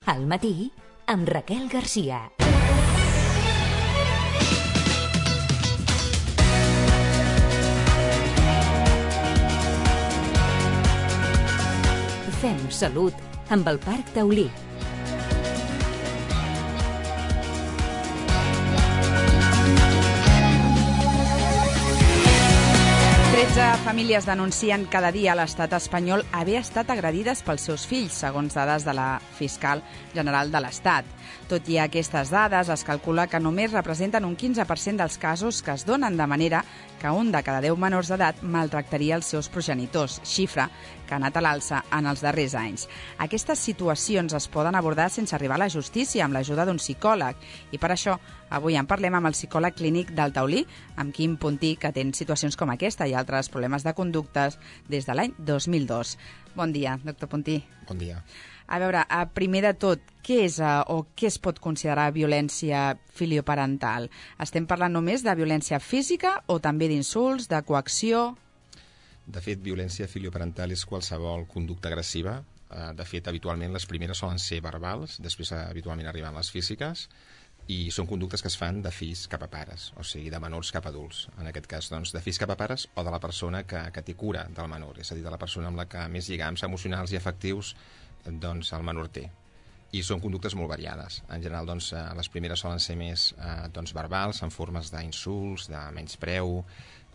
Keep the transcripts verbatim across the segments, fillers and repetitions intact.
Al matí, amb Raquel Garcia. Fem salut amb el Parc Taulí. tretze famílies denuncien cada dia a l'estat espanyol haver estat agredides pels seus fills, segons dades de la fiscal general de l'Estat. Tot i aquestes dades, es calcula que només representen un quinze per cent dels casos que es donen, de manera que un de cada deu menors d'edat maltractaria els seus progenitors, xifra que ha anat a l'alça en els darrers anys. Aquestes situacions es poden abordar sense arribar a la justícia amb l'ajuda d'un psicòleg, i per això avui en parlem amb el psicòleg clínic del Taulí, amb Quim Puntí, que atén situacions com aquesta i altres problemes de conductes des de l'any dos mil dos. Bon dia, doctor Puntí. Bon dia. A veure, primer de tot, què és o què es pot considerar violència filioparental? Estem parlant només de violència física o també d'insults, de coacció? De fet, violència filioparental és qualsevol conducta agressiva. De fet, habitualment les primeres solen ser verbals, després habitualment arriben les físiques, i són conductes que es fan de fills cap a pares, o sigui, de menors cap a adults. En aquest cas, doncs, de fills cap a pares o de la persona que, que té cura del menor, és a dir, de la persona amb la que més lligams emocionals i afectius doncs, el menor té. I són conductes molt variades. En general, doncs, les primeres solen ser més eh, doncs, verbals, en formes d'insults, de menyspreu,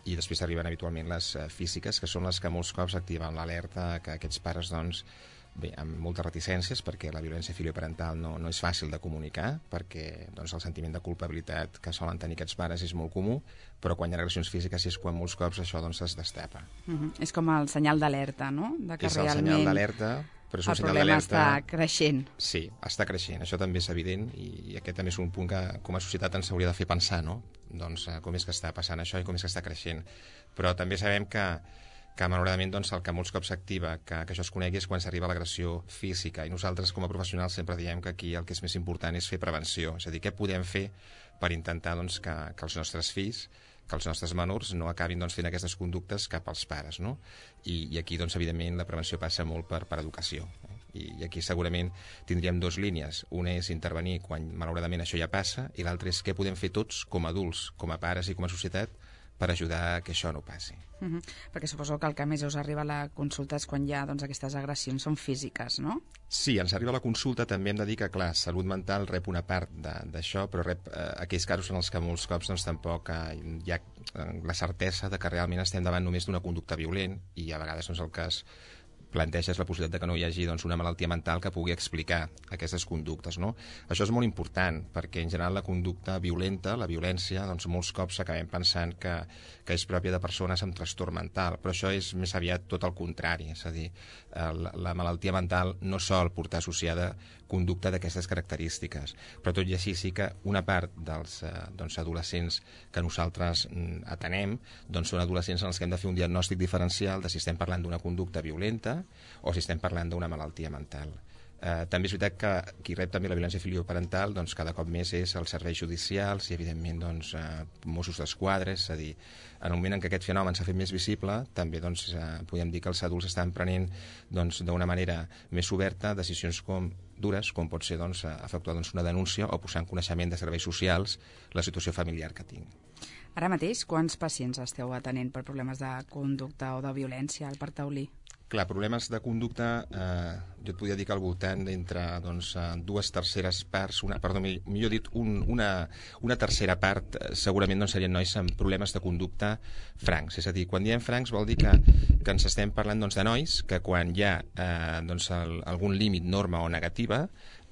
i després arriben habitualment les eh, físiques, que són les que molts cops activen l'alerta que aquests pares, doncs, bé, amb moltes reticències, perquè la violència filioparental no, no és fàcil de comunicar, perquè doncs, el sentiment de culpabilitat que solen tenir aquests pares és molt comú, però quan hi ha agressions físiques és quan molts cops això doncs, es destapa. Uh-huh. És com el senyal d'alerta, no? De que és el realment senyal d'alerta, però és un el senyal problema d'alerta... està creixent. Sí, està creixent, això també és evident, i aquest també és un punt que com a societat ens hauria de fer pensar, no? Doncs com és que està passant això i com és que està creixent. Però també sabem que que malauradament doncs, el que molts cops s'activa, que, que això es conegui, és quan s'arriba a l'agressió física, i nosaltres com a professionals sempre diem que aquí el que és més important és fer prevenció, és a dir, què podem fer per intentar doncs, que, que els nostres fills, que els nostres menors no acabin doncs, fent aquestes conductes cap als pares, no? I, i aquí doncs, evidentment la prevenció passa molt per, per educació, eh? I, i aquí segurament tindríem dues línies, una és intervenir quan malauradament això ja passa, i l'altra és què podem fer tots com a adults, com a pares i com a societat per ajudar que això no passi. Uh-huh. Perquè suposo que el que més us arriba a la consulta és quan hi ha doncs, aquestes agressions són físiques, no? Sí, ens arriba a la consulta, també hem de dir que, clar, salut mental rep una part d'això, però rep eh, aquells casos en els que molts cops doncs, tampoc eh, hi ha eh, la certesa de que realment estem davant només d'una conducta violent, i a vegades doncs, el cas planteges la possibilitat de que no hi hagi doncs, una malaltia mental que pugui explicar aquestes conductes, no? Això és molt important, perquè en general la conducta violenta, la violència, doncs molts cops acabem pensant que, que és pròpia de persones amb trastorn mental, però això és més aviat tot el contrari, és a dir, la, la malaltia mental no sol portar associada conducta d'aquestes característiques, però tot i així sí que una part dels eh, doncs, adolescents que nosaltres mm, atenem doncs, són adolescents en els que hem de fer un diagnòstic diferencial de si estem parlant d'una conducta violenta o si estem parlant d'una malaltia mental. Eh, també és veritat que qui rep també la violència filioparental doncs, cada cop més és els serveis judicials i evidentment doncs, eh, Mossos d'Esquadra, és a dir, en el moment en què aquest fenomen s'ha fet més visible, també doncs, eh, podem dir que els adults estan prenent doncs, d'una manera més oberta decisions com dures, com pot ser doncs, efectuar doncs, una denúncia o posar en coneixement de serveis socials la situació familiar que tinc. Ara mateix, quants pacients esteu atenent per problemes de conducta o de violència al Parc Taulí? Clar, problemes de conducta, eh, jo et podria dir que al voltant d'entre doncs, dues terceres parts, una, perdó, millor dit, un, una, una tercera part eh, segurament doncs, serien nois amb problemes de conducta francs. És a dir, quan diem francs vol dir que, que ens estem parlant doncs, de nois que quan hi ha eh, doncs, el, algun límit, norma o negativa,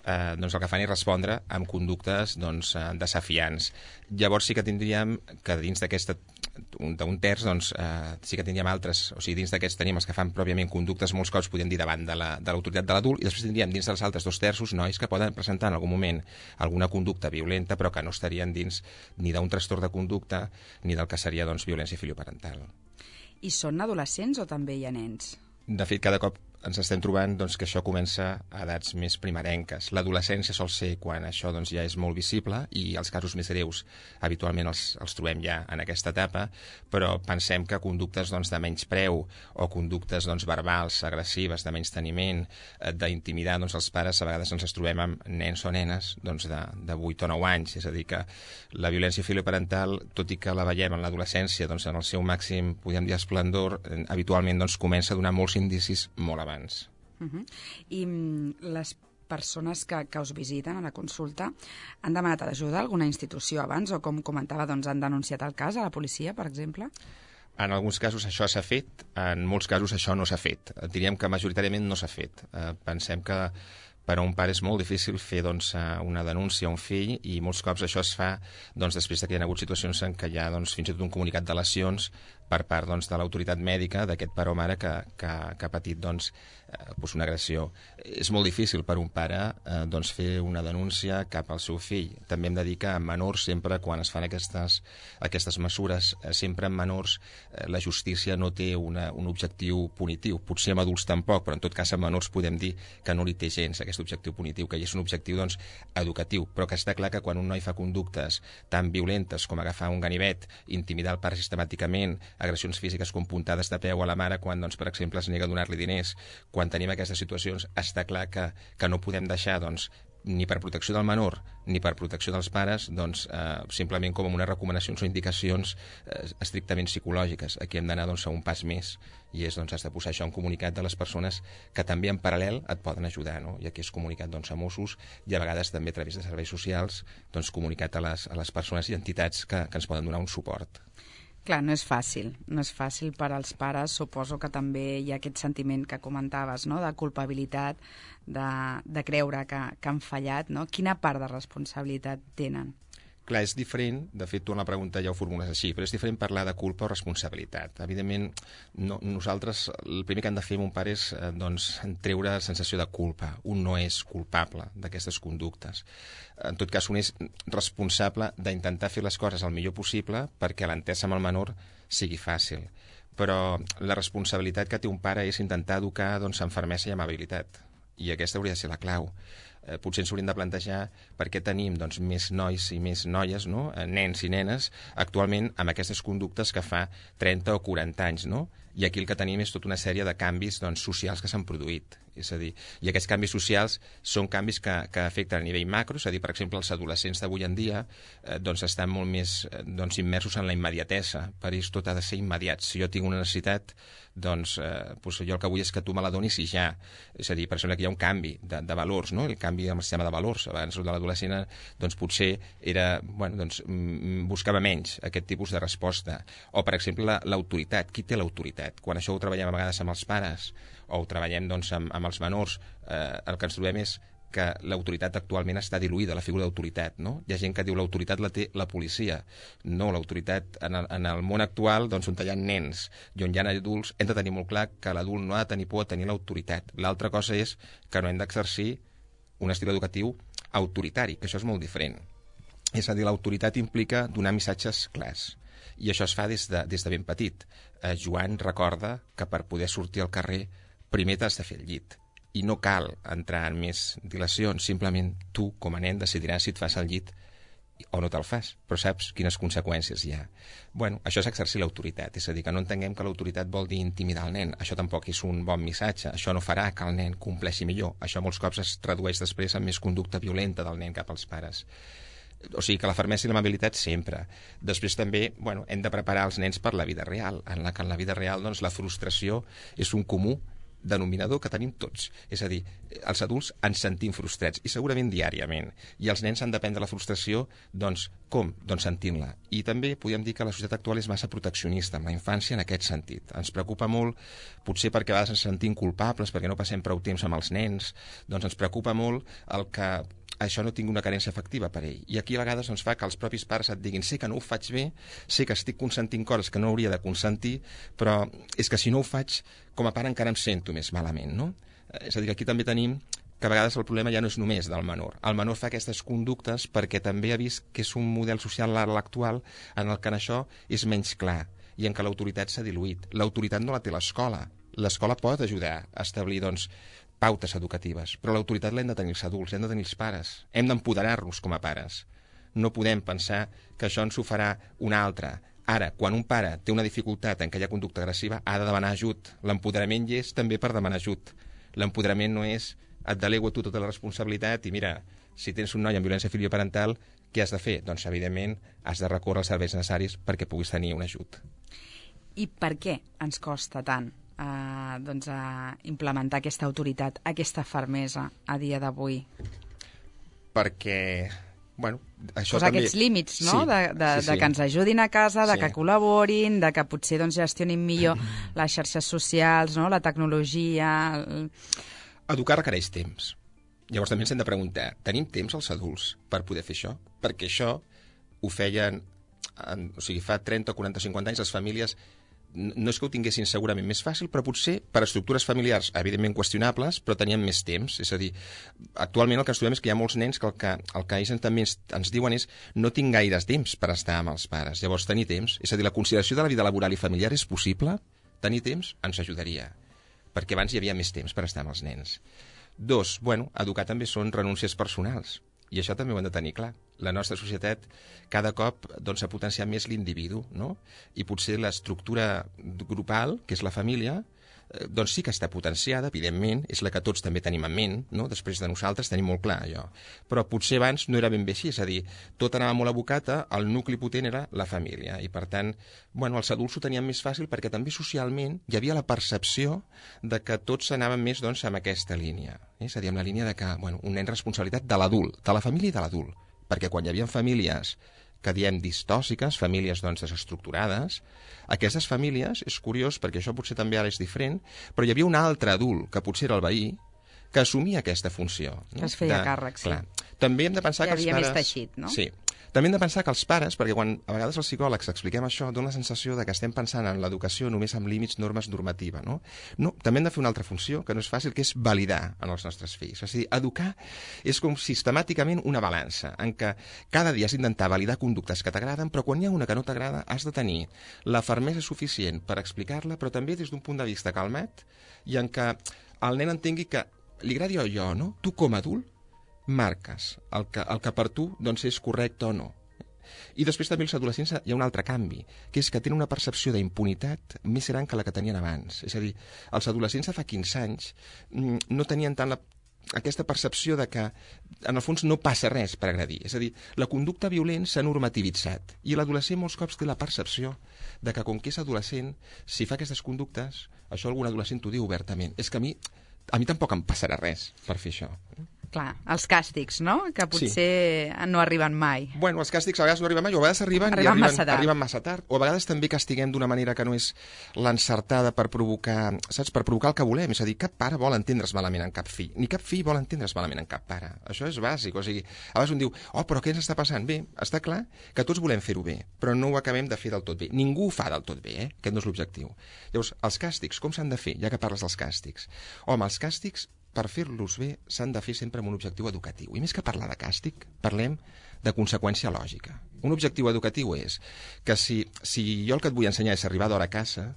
Eh, doncs el que fan és respondre amb conductes doncs, eh, desafiants. Llavors sí que tindríem que dins d'aquesta d'un terç doncs, eh, sí que tindríem altres, o sigui, dins d'aquests tenim els que fan pròpiament conductes, molts cops podríem dir davant de l'autoritat de l'adult, i després tindríem dins dels altres dos terços nois que poden presentar en algun moment alguna conducta violenta però que no estarien dins ni d'un trastorn de conducta ni del que seria doncs, violència filioparental. I són adolescents o també hi ha nens? De fet, cada cop ens estem trobant doncs, que això comença a edats més primerenques. L'adolescència sol ser quan això doncs, ja és molt visible i els casos més greus habitualment els, els trobem ja en aquesta etapa, però pensem que conductes doncs, de menyspreu o conductes doncs, verbals, agressives, de menysteniment, d'intimidar doncs, els pares, a vegades ens els trobem amb nens o nenes doncs, de, de vuit o nou anys. És a dir, que la violència filoparental, tot i que la veiem en l'adolescència doncs, en el seu màxim, podem dir, esplendor, habitualment doncs, comença a donar molts indicis molt abans. Uh -huh. I les persones que, que us visiten a la consulta han demanat ajuda a alguna institució abans o, com comentava, doncs, han denunciat el cas a la policia, per exemple? En alguns casos això s'ha fet, en molts casos això no s'ha fet. Diríem que majoritàriament no s'ha fet. Eh, pensem que per a un pare és molt difícil fer doncs, una denúncia a un fill i molts cops això es fa doncs, després que hi ha hagut situacions en què hi ha doncs, fins i tot un comunicat de lesions per part doncs, de l'autoritat mèdica d'aquest pare o mare que, que, que ha patit doncs, eh, doncs una agressió. És molt difícil per un pare eh, doncs, fer una denúncia cap al seu fill. També hem de dir que en menors, sempre quan es fan aquestes, aquestes mesures, eh, sempre en menors eh, la justícia no té una, un objectiu punitiu. Potser amb adults tampoc, però en tot cas en menors podem dir que no li té gens aquest objectiu punitiu, que és un objectiu doncs, educatiu, però que està clar que quan un noi fa conductes tan violentes com agafar un ganivet, intimidar el pare sistemàticament, agressions físiques com puntades de peu a la mare quan, doncs, per exemple, es nega a donar-li diners, quan tenim aquestes situacions, està clar que, que no podem deixar doncs, ni per protecció del menor ni per protecció dels pares, doncs, eh, simplement com unes recomanacions o indicacions eh, estrictament psicològiques. Aquí hem d'anar doncs, a un pas més, i és doncs, has de posar això en comunicat de les persones que també en paral·lel et poden ajudar, no? I aquí és comunicat doncs, a Mossos i a vegades també a través de serveis socials, doncs, comunicat a les, a les persones i entitats que, que ens poden donar un suport. Clar, no és fàcil, no és fàcil per als pares, suposo que també hi ha aquest sentiment que comentaves, no?, de culpabilitat, de, de creure que, que han fallat, no? Quina part de responsabilitat tenen? Clar, és diferent, de fet tu en la pregunta ja ho formules així, però és diferent parlar de culpa o responsabilitat. Evidentment, no, nosaltres el primer que hem de fer amb un pare és eh, doncs, treure la sensació de culpa. Un no és culpable d'aquestes conductes. En tot cas, un és responsable d'intentar fer les coses el millor possible perquè l'entesa amb el menor sigui fàcil. Però la responsabilitat que té un pare és intentar educar doncs, amb fermesa i amabilitat. I aquesta hauria de ser la clau. Eh, potser ens hauríem de plantejar per què tenim doncs, més nois i més noies, no? eh, nens i nenes, actualment amb aquestes conductes que fa trenta o quaranta anys, no? I aquí el que tenim és tota una sèrie de canvis doncs, socials que s'han produït. És a dir, i aquests canvis socials són canvis que, que afecten a nivell macro, és a dir, per exemple, els adolescents d'avui en dia eh, doncs estan molt més eh, doncs, immersos en la immediatesa. Per ells tot ha de ser immediat. Si jo tinc una necessitat, doncs, eh, doncs jo el que vull és que tu me la donis i ja. És a dir, per exemple, que hi ha un canvi de, de valors, no? El canvi amb el sistema de valors. Abans de l'adolescent doncs, potser era, bueno, doncs, buscava menys aquest tipus de resposta. O, per exemple, l'autoritat. Qui té l'autoritat? Quan això ho treballem a vegades amb els pares o ho treballem doncs, amb, amb els menors, eh, el que ens trobem és que l'autoritat actualment està diluïda, la figura d'autoritat, no? Hi ha gent que diu l'autoritat la té la policia. No, l'autoritat en, el, en el món actual, doncs, on hi ha nens i on hi ha adults, hem de tenir molt clar que l'adult no ha de tenir por a tenir l'autoritat. L'altra cosa és que no hem d'exercir un estil educatiu autoritari, que això és molt diferent. És a dir, l'autoritat implica donar missatges clars. I això es fa des de, des de ben petit. Eh, Joan recorda que per poder sortir al carrer primer t'has de fer el llit. I no cal entrar en més dilacions, simplement tu, com a nen, decidiràs si et fas el llit o no te'l fas, però saps quines conseqüències hi ha. Bueno, això és exercir l'autoritat, és a dir, que no entenguem que l'autoritat vol dir intimidar el nen, això tampoc és un bon missatge, això no farà que el nen compleixi millor, això molts cops es tradueix després en més conducta violenta del nen cap als pares. O sigui que la fermesa i l'amabilitat sempre. Després també, bueno, hem de preparar els nens per la vida real, en la que en la vida real doncs, la frustració és un comú denominador que tenim tots. És a dir, els adults ens sentim frustrats, i segurament diàriament. I els nens han d'aprendre la frustració, doncs, com? Doncs sentint-la. I també podem dir que la societat actual és massa proteccionista amb la infància en aquest sentit. Ens preocupa molt, potser perquè a vegades ens sentim culpables, perquè no passem prou temps amb els nens, doncs ens preocupa molt el que això no tingui una carència afectiva per ell. I aquí a vegades ens fa que els propis pares et diguin sé que no ho faig bé, sé que estic consentint coses que no hauria de consentir, però és que si no ho faig, com a pare encara em sento més malament, no? És a dir, que aquí també tenim que a vegades el problema ja no és només del menor. El menor fa aquestes conductes perquè també ha vist que és un model social actual en el que en això és menys clar i en què l'autoritat s'ha diluït. L'autoritat no la té l'escola, L'escola pot ajudar a establir, doncs, pautes educatives, però l'autoritat l'hem de tenir els adults, l'hem de tenir els pares. Hem d'empoderar-los com a pares. No podem pensar que això ens ho farà un altre. Ara, quan un pare té una dificultat en aquella conducta agressiva, ha de demanar ajut. L'empoderament hi és també per demanar ajut. L'empoderament no és et delego a tu tota la responsabilitat i mira, si tens un noi amb violència filioparental, què has de fer? Doncs, evidentment, has de recórrer als serveis necessaris perquè puguis tenir un ajut. I per què ens costa tant eh, doncs, a implementar aquesta autoritat, aquesta fermesa a dia d'avui? Perquè... Bueno, això Posar també... aquests límits, no? Sí, de, de, sí, sí. de que ens ajudin a casa, de Sí. que col·laborin, de que potser doncs, gestionin millor les xarxes socials, no? La tecnologia... El... Educar requereix temps. Llavors també ens hem de preguntar, tenim temps els adults per poder fer això? Perquè això ho feien, en, o sigui, fa trenta, quaranta, cinquanta anys les famílies no és que ho tinguessin segurament més fàcil, però potser per estructures familiars evidentment qüestionables, però tenien més temps. És a dir, actualment el que ens trobem és que hi ha molts nens que el que, el que ells també ens, ens diuen és no tinc gaires temps per estar amb els pares. Llavors, tenir temps, és a dir, la consideració de la vida laboral i familiar és possible? Tenir temps ens ajudaria, perquè abans hi havia més temps per estar amb els nens. Dos, bueno, educar també són renúncies personals. I això també ho hem de tenir clar. La nostra societat cada cop doncs, ha potenciat més l'individu, no? I potser l'estructura grupal, que és la família, eh, doncs sí que està potenciada, evidentment, és la que tots també tenim en ment, no? Després de nosaltres tenim molt clar allò. Però potser abans no era ben bé així, és a dir, tot anava molt abocat, el nucli potent era la família, i per tant, bueno, els adults ho tenien més fàcil perquè també socialment hi havia la percepció de que tots anaven més doncs, amb aquesta línia. És a dir, amb la línia de que bueno, un nen responsabilitat de l'adult, de la família i de l'adult. Perquè quan hi havia famílies que diem distòsiques, famílies doncs desestructurades, aquestes famílies, és curiós perquè això potser també ara és diferent, però hi havia un altre adult, que potser era el veí, que assumia aquesta funció. No? Que es feia de, càrrec, sí. Clar. També hem de pensar Hi que els havia pares... més teixit, no? Sí. També hem de pensar que els pares, perquè quan a vegades els psicòlegs expliquem això, dona la sensació de que estem pensant en l'educació només amb límits, normes, normativa, no? No, també hem de fer una altra funció, que no és fàcil, que és validar en els nostres fills. És a dir, educar és com sistemàticament una balança, en què cada dia has d'intentar validar conductes que t'agraden, però quan hi ha una que no t'agrada has de tenir la fermesa suficient per explicar-la, però també des d'un punt de vista calmat, i en què el nen entengui que li agradi o jo, no? Tu com a adult marques el que, el que per tu doncs, és correcte o no. I després també els adolescents hi ha un altre canvi, que és que tenen una percepció d'impunitat més gran que la que tenien abans. És a dir, els adolescents de fa quinze anys no tenien tant la, aquesta percepció de que en el fons no passa res per agredir. És a dir, la conducta violent s'ha normativitzat i l'adolescent molts cops té la percepció de que com que és adolescent, si fa aquestes conductes, això algun adolescent t'ho diu obertament, és que a mi, a mi tampoc em passarà res per fer això. Clar, els càstigs, no? Que potser sí. no arriben mai. Bueno, els càstigs a vegades no arriben mai, o a vegades arriben, arriben, i arriben, massa, tard. arriben massa tard. O a vegades també castiguem d'una manera que no és l'encertada per provocar, saps? Per provocar el que volem. És a dir, cap pare vol entendre's malament en cap fill, ni cap fill vol entendre's malament en cap pare. Això és bàsic. O sigui, a vegades un diu, oh, però què ens està passant? Bé, està clar que tots volem fer-ho bé, però no ho acabem de fer del tot bé. Ningú ho fa del tot bé, eh? Aquest no és l'objectiu. Llavors, els càstigs, com s'han de fer, ja que parles dels càstigs? Home, els càstigs, per fer-los bé, s'han de fer sempre amb un objectiu educatiu. I més que parlar de càstig, parlem de conseqüència lògica. Un objectiu educatiu és que si, si jo el que et vull ensenyar és arribar d'hora a casa,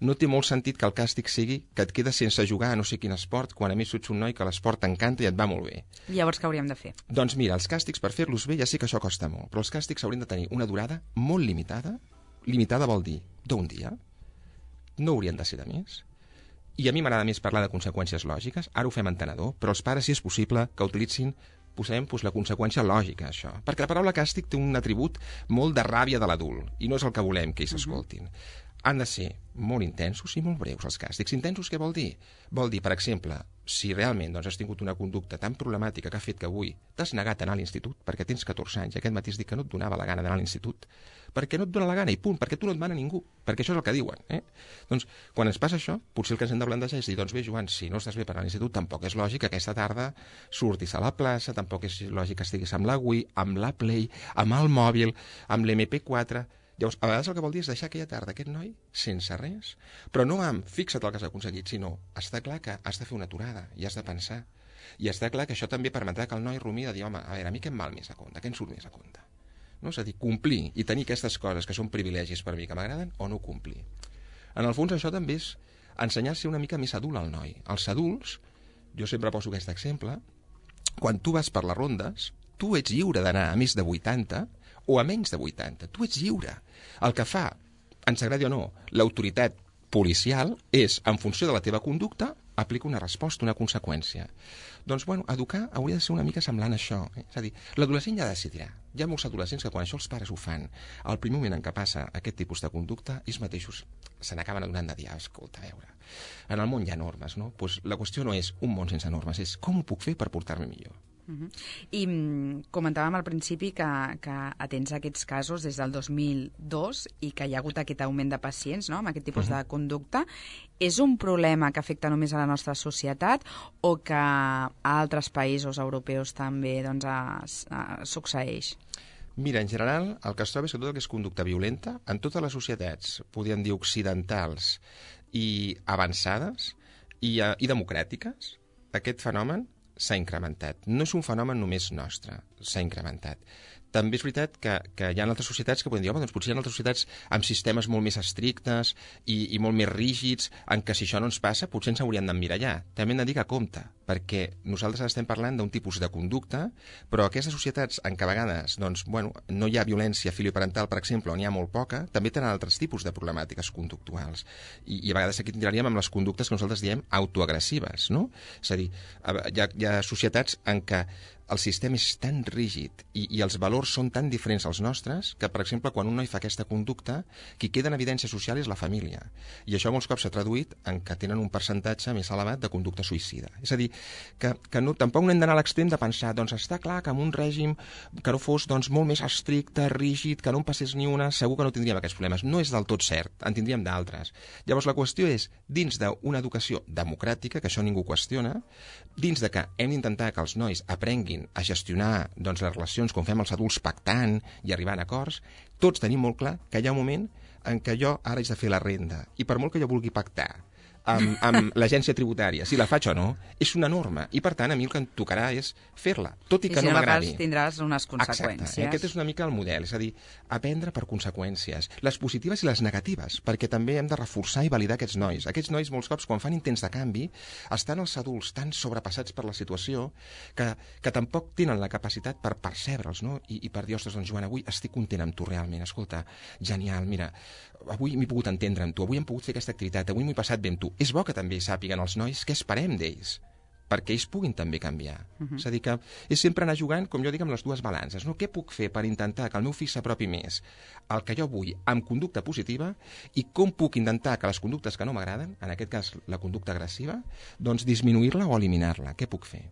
no té molt sentit que el càstig sigui que et quedes sense jugar a no sé quin esport, quan a mi ets un noi que l'esport t'encanta i et va molt bé. Llavors què hauríem de fer? Doncs mira, els càstigs, per fer-los bé, ja sé que això costa molt, però els càstigs haurien de tenir una durada molt limitada. Limitada vol dir d'un dia, no haurien de ser de més. I a mi m'agrada més parlar de conseqüències lògiques, ara ho fem entenedor, però els pares, si és possible, que utilitzin, posem doncs, la conseqüència lògica, això. Perquè la paraula càstig té un atribut molt de ràbia de l'adult, i no és el que volem que ells escoltin. Han de ser molt intensos i molt breus, els càstigs. Intensos què vol dir? Vol dir, per exemple, si realment doncs, has tingut una conducta tan problemàtica que ha fet que avui t'has negat a anar a l'institut perquè tens catorze anys i aquest matí has dit que no et donava la gana d'anar a l'institut, perquè no et dona la gana i punt, perquè tu no et mana ningú, perquè això és el que diuen. Eh? Doncs, quan ens passa això, potser el que ens hem de plantejar és dir, doncs bé, Joan, si no estàs bé per anar a l'institut, tampoc és lògic que aquesta tarda surtis a la plaça, tampoc és lògic que estiguis amb la Wii, amb la Play, amb el mòbil, amb l'M P quatre... Llavors, a vegades el que vol dir és deixar aquella tarda aquest noi sense res, però no amb fixa't el que has aconseguit, sinó està clar que has de fer una aturada i has de pensar. I està clar que això també permetrà que el noi rumia de dir, home, a veure, a mi què em val més a compte, què em surt més a compte? No? És a dir, complir i tenir aquestes coses que són privilegis per mi que m'agraden o no complir. En el fons això també és ensenyar a ser una mica més adult al noi. Els adults, jo sempre poso aquest exemple, quan tu vas per les rondes, tu ets lliure d'anar a més de vuitanta o a menys de vuitanta. Tu ets lliure. El que fa, ens agradi o no, l'autoritat policial és, en funció de la teva conducta, aplica una resposta, una conseqüència. Doncs, bueno, educar hauria de ser una mica semblant a això. Eh? És a dir, l'adolescent ja decidirà. Hi ha molts adolescents que quan això els pares ho fan, al primer moment en què passa aquest tipus de conducta, ells mateixos se n'acaben adonant de dir, ah, escolta, a veure, en el món hi ha normes, no? Pues la qüestió no és un món sense normes, és com ho puc fer per portar-me millor. Uh -huh. I mm, comentàvem al principi que, que atens aquests casos des del dos mil dos i que hi ha hagut aquest augment de pacients, no?, amb aquest tipus uh -huh. de conducta. És un problema que afecta només a la nostra societat o que a altres països europeus també doncs, es, es, succeeix? Mira, en general, el que es troba és que tot el que és conducta violenta, en totes les societats, podríem dir occidentals i avançades i, uh, i democràtiques, aquest fenomen s'ha incrementat. No és un fenomen només nostre, s'ha incrementat. També és veritat que, que hi ha altres societats que poden dir, home, doncs potser hi ha altres societats amb sistemes molt més estrictes i, i molt més rígids, en què si això no ens passa, potser ens hauríem d'emmirallar. També hem de dir que compte, perquè nosaltres estem parlant d'un tipus de conducta, però aquestes societats en què a vegades doncs, bueno, no hi ha violència filioparental, per exemple, on hi ha molt poca, també tenen altres tipus de problemàtiques conductuals. I, i a vegades aquí tindríem amb les conductes que nosaltres diem autoagressives, no? És a dir, hi ha, hi ha societats en què el sistema és tan rígid i, i els valors són tan diferents als nostres que, per exemple, quan un noi fa aquesta conducta, qui queda en evidència social és la família. I això molts cops s'ha traduït en que tenen un percentatge més elevat de conducta suïcida. És a dir, que, que no, tampoc no hem d'anar a l'extrem de pensar, doncs està clar que amb un règim que no fos doncs, molt més estricte, rígid, que no en passés ni una, segur que no tindríem aquests problemes. No és del tot cert, en tindríem d'altres. Llavors la qüestió és, dins d'una educació democràtica, que això ningú qüestiona, dins de que hem d'intentar que els nois aprenguin a gestionar doncs, les relacions com fem els adults pactant i arribant a acords, tots tenim molt clar que hi ha un moment en què jo ara haig de fer la renda i per molt que jo vulgui pactar amb, amb l'agència tributària, si la faig o no, és una norma i per tant a mi el que em tocarà és fer-la, tot i que I si no m'agradi. I si no la fas tindràs unes conseqüències. Exacte, aquest és una mica el model, és a dir, aprendre per conseqüències, les positives i les negatives, perquè també hem de reforçar i validar aquests nois. Aquests nois molts cops quan fan intents de canvi estan els adults tan sobrepassats per la situació que, que tampoc tenen la capacitat per percebre'ls, no? I, i per dir, ostres, doncs Joan, avui estic content amb tu realment, escolta, genial, mira, avui m'he pogut entendre amb tu, avui hem pogut fer aquesta activitat, avui m'ho he passat bé amb tu. És bo que també sàpiguen els nois què esperem d'ells, perquè ells puguin també canviar. Uh -huh. És a dir, que és sempre anar jugant, com jo dic, amb les dues balances. No? Què puc fer per intentar que el meu fill s'apropi més al que jo vull amb conducta positiva i com puc intentar que les conductes que no m'agraden, en aquest cas la conducta agressiva, doncs disminuir-la o eliminar-la. Què puc fer?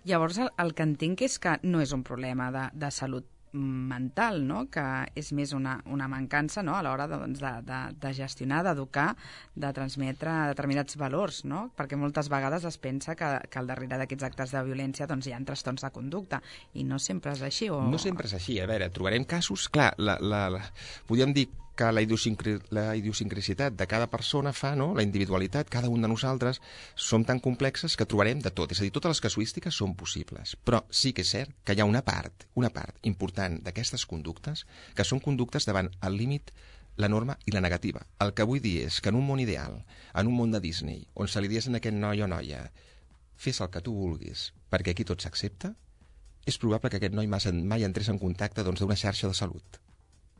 Llavors, el, el que entenc és que no és un problema de, de salut mental, no?, que és més una, una mancança, no?, a l'hora de, doncs, de, de, de gestionar, d'educar, de transmetre determinats valors, no?, perquè moltes vegades es pensa que, que al darrere d'aquests actes de violència doncs, hi ha trastorns de conducta, i no sempre és així. O... No sempre és així. A veure, trobarem casos... Clar, la, la, la, podríem dir que la, idiosincri la idiosincrasitat de cada persona fa, no?, la individualitat, cada un de nosaltres, som tan complexes que trobarem de tot. És a dir, totes les casuístiques són possibles. Però sí que és cert que hi ha una part, una part important d'aquestes conductes que són conductes davant el límit, la norma i la negativa. El que vull dir és que en un món ideal, en un món de Disney, on se li digués a aquest noi o noia fes el que tu vulguis, perquè aquí tot s'accepta, és probable que aquest noi mai entrés en contacte d'una doncs, xarxa de salut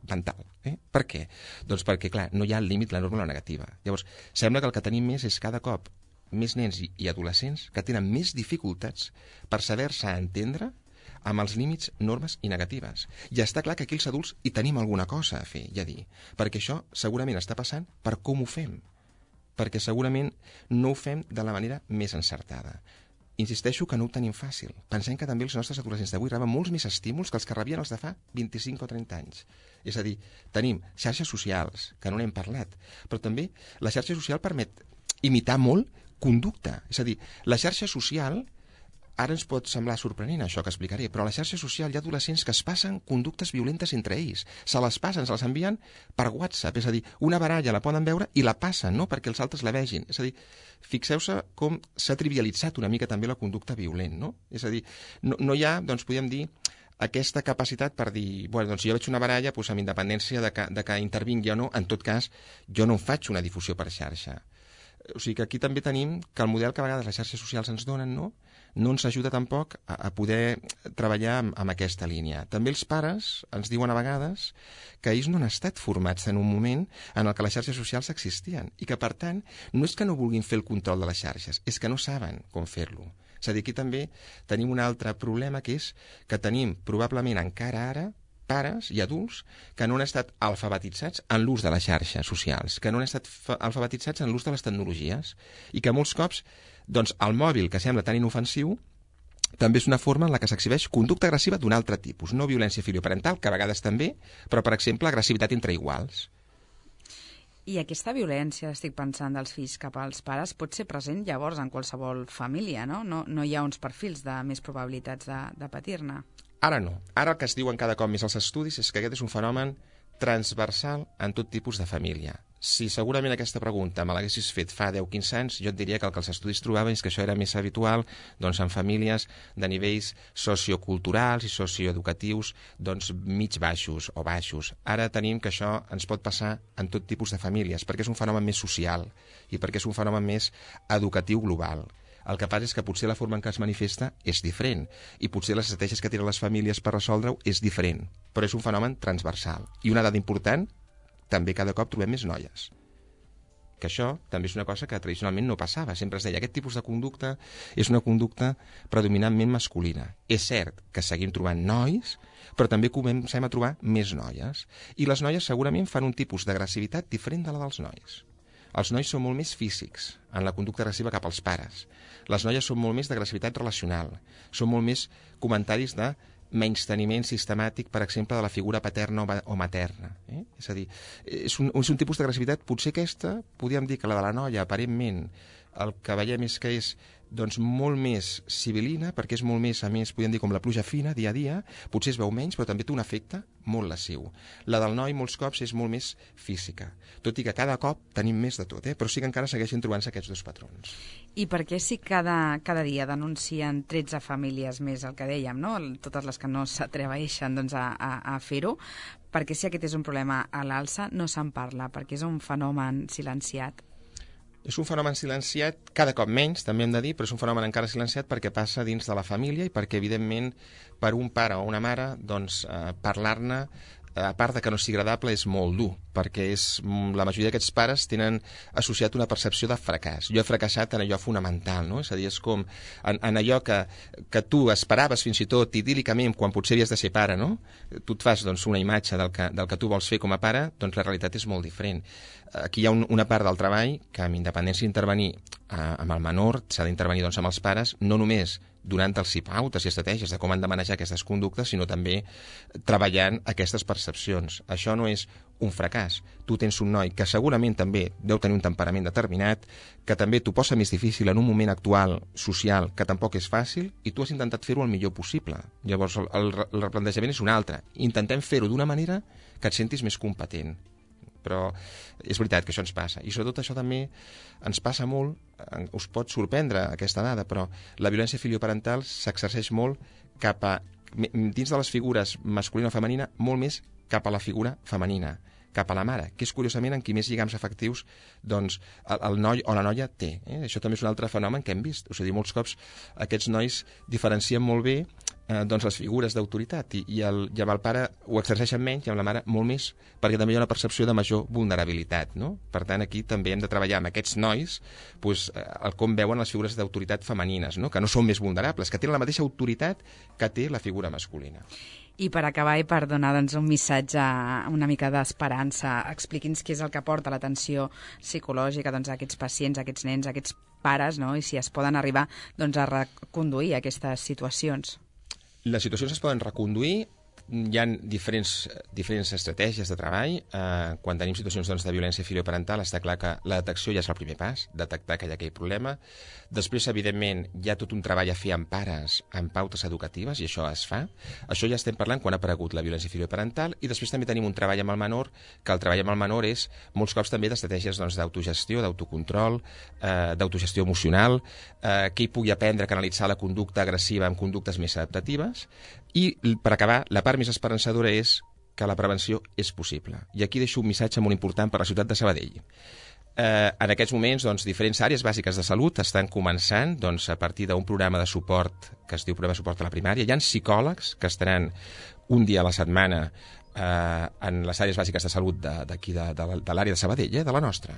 mental. Eh? Per què? Doncs perquè, clar, no hi ha el límit, la norma o la negativa. Llavors, sembla que el que tenim més és cada cop més nens i, i adolescents que tenen més dificultats per saber-se entendre amb els límits, normes i negatives. I està clar que aquí els adults hi tenim alguna cosa a fer i a dir, perquè això segurament està passant per com ho fem, perquè segurament no ho fem de la manera més encertada. Insisteixo que no ho tenim fàcil. Pensem que també els nostres adolescents d'avui reben molts més estímuls que els que rebien els de fa vint-i-cinc o trenta anys. És a dir, tenim xarxes socials, que no n'hem parlat, però també la xarxa social permet imitar molt conducta. És a dir, la xarxa social, ara ens pot semblar sorprenent això que explicaré, però a la xarxa social hi ha adolescents que es passen conductes violentes entre ells. Se les passen, se les envien per WhatsApp. És a dir, una baralla la poden veure i la passen, no?, perquè els altres la vegin. És a dir, fixeu-se com s'ha trivialitzat una mica també la conducta violent, no? És a dir, no, no hi ha, doncs podríem dir, aquesta capacitat per dir, bueno, doncs si jo veig una baralla, doncs amb independència de que, de que intervingui o no, en tot cas, jo no en faig una difusió per xarxa. O sigui que aquí també tenim que el model que a vegades les xarxes socials ens donen, no? no ens ajuda tampoc a, a poder treballar amb, amb aquesta línia. També els pares ens diuen a vegades que ells no han estat formats en un moment en el que les xarxes socials existien i que, per tant, no és que no vulguin fer el control de les xarxes, és que no saben com fer-lo. És a dir, aquí també tenim un altre problema, que és que tenim probablement encara ara pares i adults que no han estat alfabetitzats en l'ús de les xarxes socials, que no han estat alfabetitzats en l'ús de les tecnologies i que molts cops doncs, el mòbil, que sembla tan inofensiu, també és una forma en la que s'exhibeix conducta agressiva d'un altre tipus, no violència filioparental, que a vegades també, però, per exemple, agressivitat entre iguals. I aquesta violència, estic pensant, dels fills cap als pares pot ser present llavors en qualsevol família, no? No, no hi ha uns perfils de més probabilitats de, de patir-ne. Ara no. Ara el que es diuen cada cop més als estudis és que aquest és un fenomen transversal en tot tipus de família. Si segurament aquesta pregunta me l'haguessis fet fa deu o quinze anys, jo et diria que el que els estudis trobaven és que això era més habitual doncs, en famílies de nivells socioculturals i socioeducatius doncs, mig baixos o baixos. Ara tenim que això ens pot passar en tot tipus de famílies, perquè és un fenomen més social i perquè és un fenomen més educatiu global. El que passa és que potser la forma en què es manifesta és diferent i potser les estratègies que tenen les famílies per resoldre-ho és diferent, però és un fenomen transversal. I una dada important, també cada cop trobem més noies. Que això també és una cosa que tradicionalment no passava. Sempre es deia aquest tipus de conducta és una conducta predominantment masculina. És cert que seguim trobant nois, però també comencem a trobar més noies. I les noies segurament fan un tipus d'agressivitat diferent de la dels nois. Els nois són molt més físics en la conducta agressiva cap als pares. Les noies són molt més d'agressivitat relacional. Són molt més comentaris de menysteniment sistemàtic, per exemple, de la figura paterna o materna. Eh? És a dir, és un, és un tipus d'agressivitat, potser aquesta, podríem dir que la de la noia, aparentment, el que veiem és que és doncs, molt més civilina, perquè és molt més, a més, podríem dir com la pluja fina, dia a dia, potser es veu menys, però també té un efecte molt lesiu. La del noi, molts cops, és molt més física, tot i que cada cop tenim més de tot, eh? Però sí que encara segueixen trobant-se aquests dos patrons. I per què si cada, cada dia denuncien tretze famílies més, el que dèiem, no? Totes les que no s'atreveixen doncs, a, a, a fer-ho, perquè si aquest és un problema a l'alça, no se'n parla, perquè és un fenomen silenciat. És un fenomen silenciat, cada cop menys, també hem de dir, però és un fenomen encara silenciat perquè passa dins de la família i perquè, evidentment, per un pare o una mare, doncs, eh, parlar-ne, a part de que no sigui agradable, és molt dur, perquè és, la majoria d'aquests pares tenen associat una percepció de fracàs. Jo he fracassat en allò fonamental, no? És a dir, és com en, en allò que, que tu esperaves fins i tot idíl·licament quan potser havies de ser pare, no? Tu et fas doncs, una imatge del que, del que tu vols fer com a pare, doncs la realitat és molt diferent. Aquí hi ha un, una part del treball que, amb independència d'intervenir eh, amb el menor, s'ha d'intervenir doncs, amb els pares, no només donant-los pautes i estratègies de com han de manejar aquestes conductes, sinó també treballant aquestes percepcions. Això no és un fracàs. Tu tens un noi que segurament també deu tenir un temperament determinat, que també t'ho posa més difícil en un moment actual social que tampoc és fàcil, i tu has intentat fer-ho el millor possible. Llavors el, el, el replantejament és un altre. Intentem fer-ho d'una manera que et sentis més competent. Però és veritat que això ens passa. I sobretot això també ens passa molt, us pot sorprendre aquesta dada, però la violència filioparental s'exerceix molt cap a, dins de les figures masculina o femenina, molt més cap a la figura femenina, cap a la mare, que és curiosament en qui més lligams afectius doncs, el, el noi o la noia té. Eh? Això també és un altre fenomen que hem vist. O sigui, molts cops aquests nois diferencien molt bé eh, doncs les figures d'autoritat i, i, el, i amb el pare ho exerceixen menys i amb la mare molt més, perquè també hi ha una percepció de major vulnerabilitat. No? Per tant, aquí també hem de treballar amb aquests nois doncs, el com veuen les figures d'autoritat femenines, no? Que no són més vulnerables, que tenen la mateixa autoritat que té la figura masculina. I per acabar i per donar doncs, un missatge, una mica d'esperança, expliqui'ns què és el que porta l'atenció psicològica doncs, a aquests pacients, a aquests nens, a aquests pares, no? I si es poden arribar doncs, a reconduir aquestes situacions. Les situacions es poden reconduir. Hi ha diferents, diferents estratègies de treball. Eh, quan tenim situacions doncs, de violència filioparental, està clar que la detecció ja és el primer pas, detectar que hi ha aquell problema. Després, evidentment, hi ha tot un treball a fer amb pares, amb pautes educatives, i això es fa. Això ja estem parlant quan ha aparegut la violència filioparental, i després també tenim un treball amb el menor, que el treball amb el menor és molts cops també d'estratègies doncs, d'autogestió, d'autocontrol, eh, d'autogestió emocional, eh, que hi pugui aprendre a canalitzar la conducta agressiva amb conductes més adaptatives. I, per acabar, la part més esperançadora és que la prevenció és possible. I aquí deixo un missatge molt important per a la ciutat de Sabadell. Eh, en aquests moments, doncs, diferents àrees bàsiques de salut estan començant doncs, a partir d'un programa de suport que es diu programa de suport a la primària. Hi ha psicòlegs que estaran un dia a la setmana eh, en les àrees bàsiques de salut d'aquí, de, de, de, de l'àrea de Sabadell, eh, de la nostra,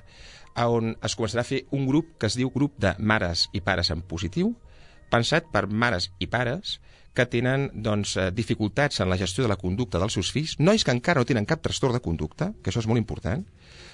on es començarà a fer un grup que es diu grup de mares i pares en positiu, pensat per mares i pares que tenen doncs, dificultats en la gestió de la conducta dels seus fills, nois que encara no tenen cap trastorn de conducta, que això és molt important,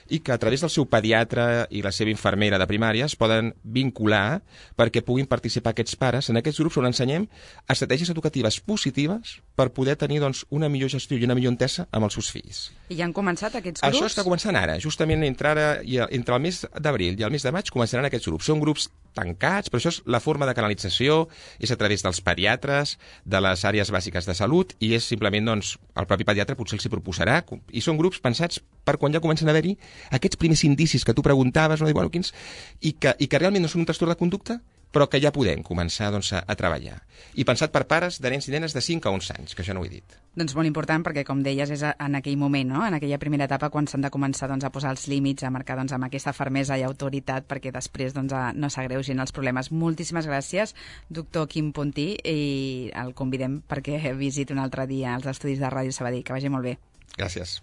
i que a través del seu pediatre i la seva infermera de primària es poden vincular perquè puguin participar aquests pares en aquests grups on ensenyem estratègies educatives positives per poder tenir doncs, una millor gestió i una millor entesa amb els seus fills. I ja han començat aquests grups? Això està començant ara. Justament entre, ara, i entre el mes d'abril i el mes de maig començaran aquests grups. Són grups tancats, però això és la forma de canalització, és a través dels pediatres, de les àrees bàsiques de salut, i és simplement, doncs, el propi pediatre potser els hi proposarà, i són grups pensats per quan ja comencen a haver-hi aquests primers indicis que tu preguntaves, no? I, bueno, quins, i, que, i que realment no són un trastorn de conducta, però que ja podem començar doncs, a, a treballar. I pensat per pares de nens i nenes de cinc a onze anys, que això no ho he dit. Doncs molt important, perquè com deies, és en aquell moment, no? En aquella primera etapa, quan s'han de començar doncs, a posar els límits, a marcar doncs, amb aquesta fermesa i autoritat, perquè després doncs, a, no s'agreugin els problemes. Moltíssimes gràcies, doctor Quim Puntí, i el convidem perquè visiti un altre dia als estudis de Ràdio Sabadell. Que vagi molt bé. Gràcies.